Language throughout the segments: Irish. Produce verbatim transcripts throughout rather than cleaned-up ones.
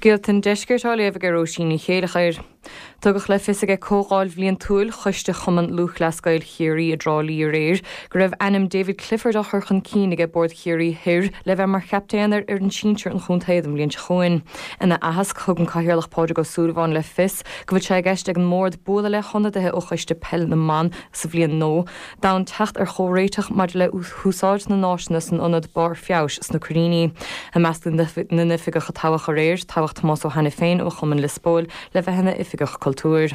Scéalta an Deiscirt á léamh ag Róisín Ní Chéilleachair. Tugadh le fios ag comhdháil bhliantúil Choiste Chumann Lúthchleas Gael Chiarraí i dTrá Lí aréir go raibh ainm David Clifford á chur chun cinn ag Bord Chiarraí Thoir le bheith mar chaptaen ar fhoireann sinsir an chontae an bhliain seo chugainn. Ina aitheasc thug an Cathaoirleach Pádraig Ó Súilleabháin le fios go bhfuil sé i gceist ag an mbord bualadh le hionadaithe ó choiste peil na mban sa bhliain nua d'fhonn teacht ar chomhréiteach maidir le húsáid na n-áiseanna san ionad barr feabhais sna Coiríní. I measc na n-oifigeach a toghadh aréir toghadh Tomás Ó hAiniféin ó Chumann Lios Póil le bheith ina oifigeach cultúir.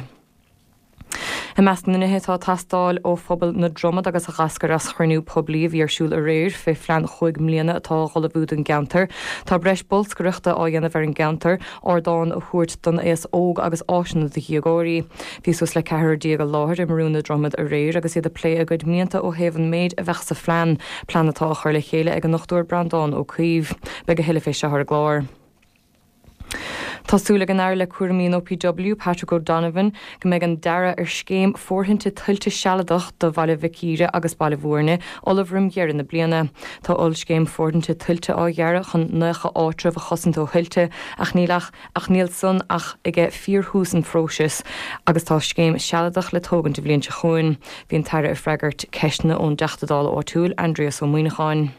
I measc na nithe atá ag teastáil ó phobal na Dromad agus a d'eascair as chruinniú poiblí a bhí ar siúl aréir fé phlean chúig mbliana atá á ullmhú don gceantar. Tá breis bolscaireachta á dhéanamh ar an gceantar, ardán a thabhairt don aos óg agus áiseanna do dhéagóirí. Bhí suas le ceathrar déag i láthair i mBrú na Dromad aréir agus iad ag plé a gcuid mianta ó thaobh an méid a bheadh sa phlean, plean atá á chur le chéile ag an Dr Breandán Ó Caoimh. Beidh a thuilleadh fé seo ar an gclár. Tá súil ag an Aire le cúraimí an OPW Patrick O'Donovan go mbeidh an dearadh ar scéim fóirithinte tuilte sealadach do Bhaile Mhic Íre agus Baile Bhúirne ullamh roimh dheireadh na bliana. Tá ollscéim fóirithinte tuilte á dhearadh chun nócha áitreabh a chosaint ó thuilte ach níl ach ach níl san ach ag fíorthús an phróisis agus tá scéim sealadach le tógaint an bhliain seo chugainn. Bhí an tAire ag freagairt ceisteanna ón dTeachta Dála áitiúil Aindrias Ó Muimhneacháin.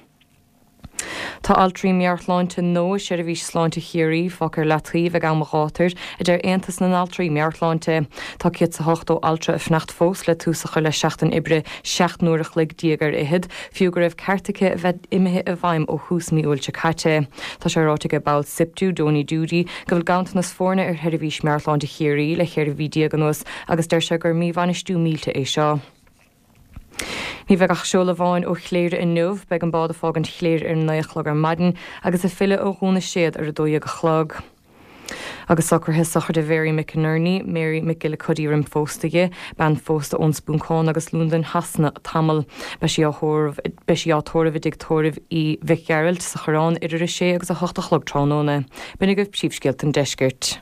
Tá altraí meabhairshláinte nua i seirbhís sláinte Chiarraí fágtha ar leataobh ag am a ghátair a deir Aontas na nAltraí Meabhairshláinte. Tá céad is a hochtó altra ag fanacht fós le tús a chur le seachtain oibre seacht n-uair a chloig déag ar fhichead, fiú go raibh ceart aici a bheith imithe i bhfeidhm ó thús mí Iúil seo caite. Tá sé ráite ag ball SIPTU, Donie Doody, go bhfuil ganntanas foirne ar sheirbhís meabhairshláinte Chiarraí le ceithre mhí déag anuas agus deir sé gur míbhainistiú millte é seo. Ní bheidh ach seoladh amháin ó Chléire inniu, beidh an bád ag fágaint Chléire ar naoi a chlog ar maidin agus ag filleadh ó Dhún na Séad ar a dó dhéag a chlog. Agus socruithe sochraide Mhary McInerney, Mary McGillicuddy roimh phósta di, bean phósta ón Spúncán agus Londain Shasana tamall. Beidh sí á beidh sí á tórramh i dtigh tórraimh Uí Mhic Gearailt sa Choireán idir a sé agus a hocht a chlog tráthnóna. B'in agaibh príomhscéalta an deiscirt.